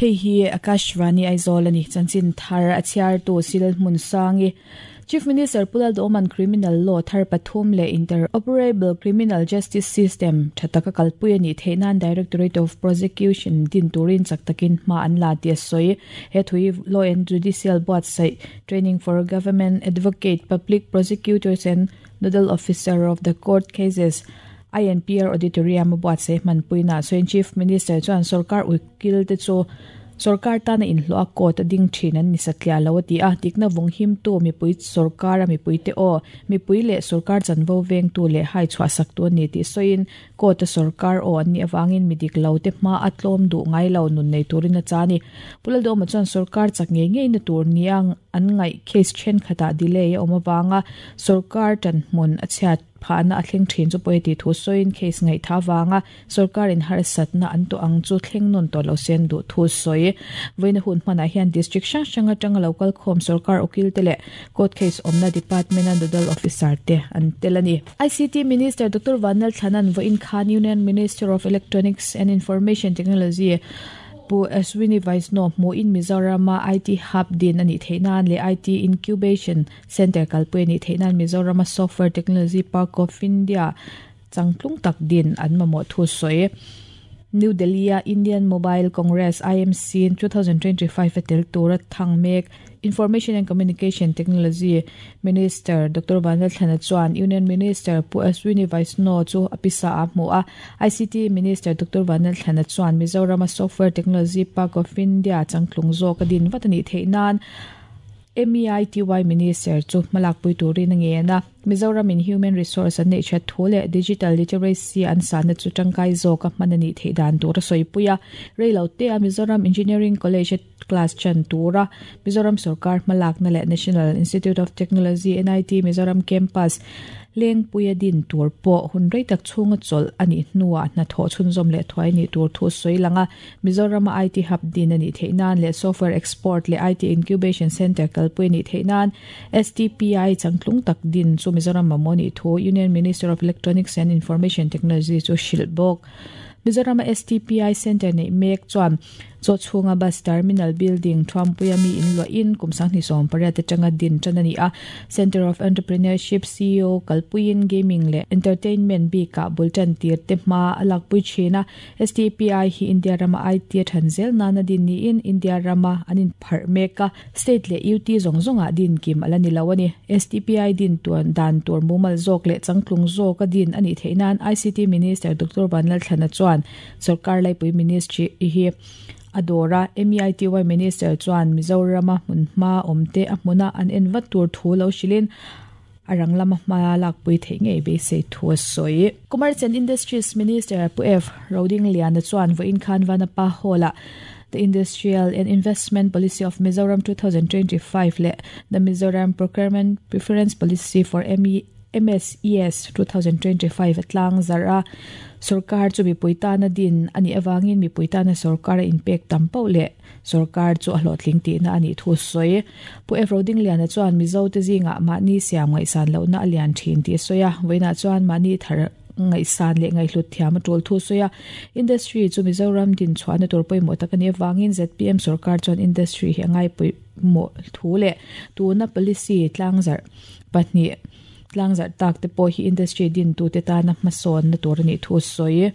Hei hi Akashvani Aizawl a ni. Chanchin thar a chhiartu Sil Hmunsangi. Chief Minister Pu Lalduhawma'n Criminal Law thar pathum leh Interoperable Criminal Justice System tha taka kalpui a nih theih nan Directorate of Prosecution din turin chak takin hma an la tih a sawi. He thui Law and Judicial buatsaih Training for Government Advocate, Public Prosecutors and Nodal Officer of the Court Cases, INPR Auditorium a buatsaih hmanpuinaah sawiin Chief Minister chuan sorkar ukil te chu sorkar tana inhlawh a court a ding thin an ni satliah lo a ti a, dikna vawng himtu mipui sorkar a mipuite aw, mipui leh sorkar chanvo vengtu leh hai chhuahsaktu a ni tih sawiin court a sorkar aw an nih avangin mi dik lo te hma a tlawm duh ngai lo nun nei turin a cha a ni. Pu Lalduhawma chuan sorkar chak ngei ngeina tur nia an ngaih case thenkhatah delay a awm avanga sorkar tanhmun a chhiat Phahna a thleng thin chu pawi a tih thu sawiin case ngaihtha avanga sorkarin harsatna an tawh ang chu thleng nawn tawh lo se an duh thu sawi. Vawiina hun hmanah hian district hrang hrang atanga lo kal khawm sorkar ukil te leh court case awmna department a nodal officer te an tel a ni. ICT Minister Doctor Vanlal Thlana'n vawiin khan Union Minister of Electronics and Information Technology Pu Ashwini Vaishnaw hmuhin Mizorama IT Hub din a nih theih nan leh IT Incubation Center kalpui a nih theih nan Mizorama Software Technology Park of India changtlung tak din an mamawh thu sawi. New Delhi-a Indian Mobile Congress, IMC, 2025 a tel tura thang mek Information and Communication Technology Minister Doctor Vanlalthlana chuan Union Minister Pu Ashwini Vaishnaw chu a pisa a hmu a. ICT Minister Doctor Vanlalthlana chuan Mizorama Software Technology Park of India changtlung zawk a din vat a nih theih nan MEITY Minister chu hmalakpui turin a ngen a, Mizoramin human resource an neih that thu leh digital literacy an sahna chu tangkai zawka hman a nih theih dan tur a sawipui a. Reilote a Mizoram Engineering College a class chan tura Mizoram sorkar hmalakna leh National Institute of Technology, NIT, Mizoram Campus, Lengpuia din tur pawh hun rei tak chhunga chawlh a nih hnuah hnathawh chhunzawm leh thuai nih tur thu sawi lang a, Mizorama IT Hub din a nih theih nan leh Software Export leh IT Incubation Centre kalpui a nih theih nan STPI changtlung tak din chu Mizoram mamawh nih thu Union Minister of Electronics and Information Technology chu hrilh bawk. Mizorama STPI Centre neih mek chuan Chaw chhunga Bus Terminal Building Thuampuia mi in luahin kum 2018 atanga din tan a ni a. Centre of Entrepreneurship, CEO, kalpuiin Gaming leh Entertainment bikah bul tan tir te hma a lakpui thin a. STPI hi India rama IT a than zel nana din niin India rama an inpharh mek a. State leh UT zawng zawngah din kim a la ni lo a ni. STPI din tuan dan tur mumal zawk leh changtlung zawka din a nih theih nan ICT Minister Doctor Vanlalthlana chuan Sorkar Laipui Ministry hi a dawr a, MEITY Minister chuan Mizorama hmunhma awmte a hmuna an en vat tur thu lo hrilhin a rang lama hma lakpui theih ngei beisei thu a sawi. Commerce and Industries Minister Pu F. Rodingliana chuan vawiin khan Vanapa Hall-ah The Industrial and Investment Policy of Mizoram 2025 leh The Mizoram Procurement Preference Policy for MSES 2025 a tlang zarh a. Sorkar chu mipui tana din a nih avangin mipui tana sorkar a inpek tam poh leh sorkar chu a hlawhtling tihna a nih thu a sawi. Pu F. Rodingliana chuan Mizote zingah mahni siam ngaihsan lohna a lian thin tih a sawi a, vawiinah chuan mahni thar ngaihsan leh ngaihhlut thiam a tul thu a sawi a. Industry chu Mizoram din chhuahna tur pawimawh tak a nih avangin zpm sorkar chuan industry hi a ngaipawimawh thu leh tuna policy tlangzarh pahnih tlangzarh tak te pawh hi industry dintute tana hmasawnna tur a nih thu a sawi.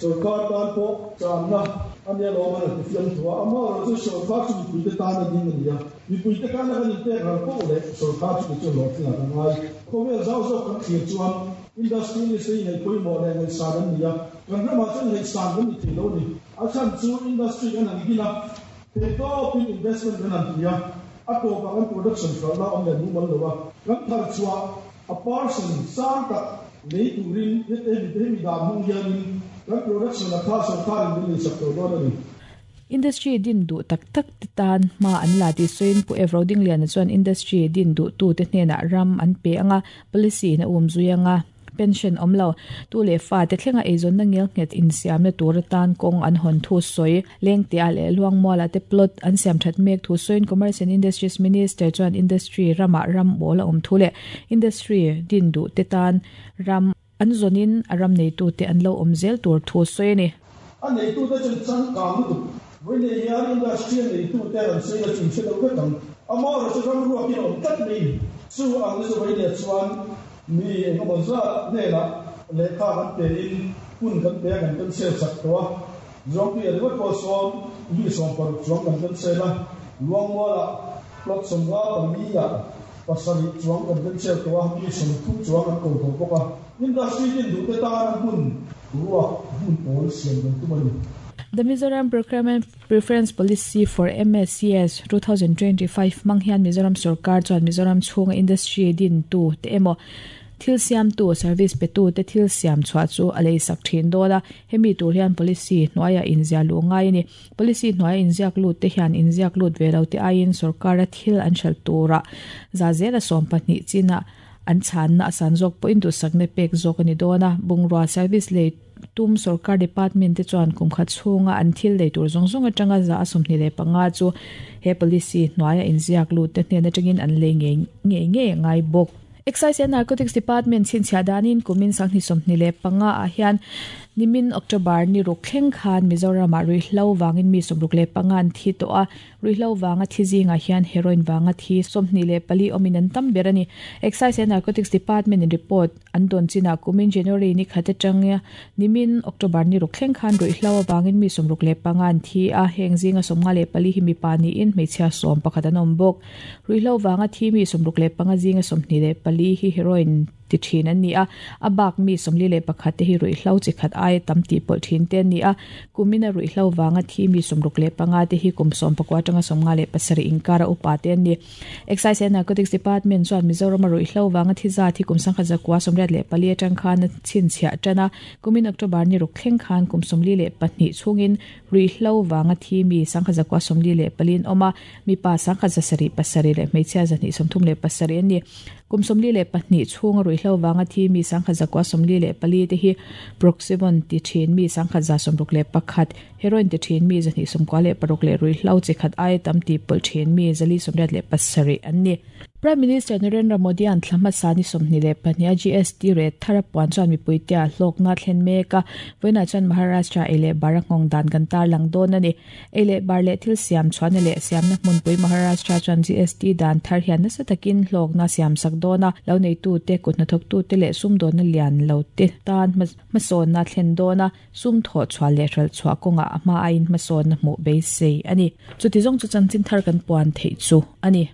Sorkar tan pawh channa a nia lawm an ti fiam thu a, amaherawh chu sorkar chu mipuite tan a ding a ni a, mipuite tana kan inpek ral poh leh sorkar chu kei chu hlawhtling a ka ngai. Khawvel zau zawk kan thlir chuan industry list te hi ngaih pawimawh leh ngaihsan an ni a, kan ramah chuan ngaihsan kan ni thei lo a ni. A chhan chu industry kan han din a, theihtawpin investment kan han ti a, A tawpah kan production hralhna a awm leh mumal lo a, kan thar chhuah a person sang tak lei turin hete hemi te hemi dan hmang hianin kan production a kha sorkarin min leisak tawh dawn a ni. Industry din duh tak tak te tan hma an la tih sawiin Pu Evro Dingliana chuan industry din duhtute hnenah ram an pe ang a, policy in a umzui ang a. Pension awm lo, tu leh fa te thlenga eizawnna ngelnghet insiamna tur atan kawng an hawn thu sawi. Lengtea leh Luangmuala te plot an siam that mek thu sawiin Commerce and Industries Minister chuan industry ramah ram awl a awm thu leh industry din duh te tan ram an zawnin a ram neitute an lo awm zel tur thu sawi a ni. A neitute chuan changkang lutuk. Vawiin hian industry a neitute an sawi a chung hre lo vek ang. Amaherawhchu ram ruakin a awm tlat mai. Chu ang chu vawiin chuan mi engemaw zat hnenah lehkha kan pein hun kan pe a, kan cancel sak tawh a. Zuangtuia ringawt pawh sawn mi 60 chuang kan cancel a, Luangmualah plot 54 ah 7 chuang kan cancel tawh a, mi 30 chuang an ko tawh bawk a. Industry tin duhte tana hmun ruak hmun awl siam kan tum a ni. The Mizoram Procurement Preference Policy for MSCS 2025 hmang hian Mizoram sorkar chuan Mizoram chhunga industry din tu te emaw thil siamtu service petu te thil siam chhuah chu a lei sak thin dawn a, hemi tur hian policy hnuaiah inziah luh ngai a ni. Policy hnuaia inziak lut te hian inziak lut ve lo te aiin sorkara thil an hralh turah za zela 12 chinah an chhanna a san zawk pawhin duhsakna pek zawk a ni dawn a, bungrua service lei tum sorkar department te chuan kum khat chhunga an thil lei tur zawng zawng atanga za a 25 chu he policy hnuaia inziak lut te hnen atangin an lei ngei ngei ngei a ngai bawk. Excise and Narcotics Department chhinchhiah danin kumin 2025 ah hian nimin October ni ruk thleng khan Mizoramah ruihhlo vangin mi 65 an thi tawh a, Ruihhlo vanga thi zingah hian heroin vanga thi 24 awmin an tam ber a ni. Excise and Narcotics Department in report an dawn chinah kumin January ni khat atanga nimin October ni ruk thleng khan ruihhlo avangin mi 65 an thi a, heng zinga 54 hi mipa niin hmeichhia 11 an awm bawk. Ruihhlo vanga thi mi 65 zinga 24 hi heroin ti thin an ni a, a bak mi 41 te hi ruihhlo chi khat aia tam tih pawlh thin te an ni a, kumina ruihhlo vanga thi mi 65 te hi kum 19 atanga 57 inkara upa te an ni. Excise and Narcotics Department chuan Mizorama ruihhlo vanga thi zat hi kum 1984 atang khan a chhinchhiah tan a, kumin October ni ruk thleng khan kum 42 chhungin ruihhlo vanga thi mi 1944 an awm a, mipa 1707 leh hmeichhia 237 an ni. Kum 42 chhunga ruihhlo vanga thi mi 1944 te hi Proxyvon ti thin mi 1961, heroin ti thin mi 296 leh ruihhlo chi khat aia tam tih pawlh thin mi 487 an ni. Prime Minister Narendra Modi-a'n thla hmasa ni 22 a GST rate thar a puan chuan mipuite ah hlawkna a thlen mek a, vawiinah chuan Maharashtra ei leh bar a nghawng dan kan tarlang dawn a ni. Ei leh bar leh thil siam chhuahna leh siamna hmunpui Maharashtra chuan GST dan thar hian nasa takin hlawkna siam sak dawn a, lo neitute, kut hnathawktute leh sumdawnna lian lo te tan hmasawnna a thlen dawn a, sum thawh chhuah leh hralh chhuah kawngah a hma aiin hmasawnna hmuh beisei a ni. Chuti zawng chu chanchin thar kan puan theih chu a ni.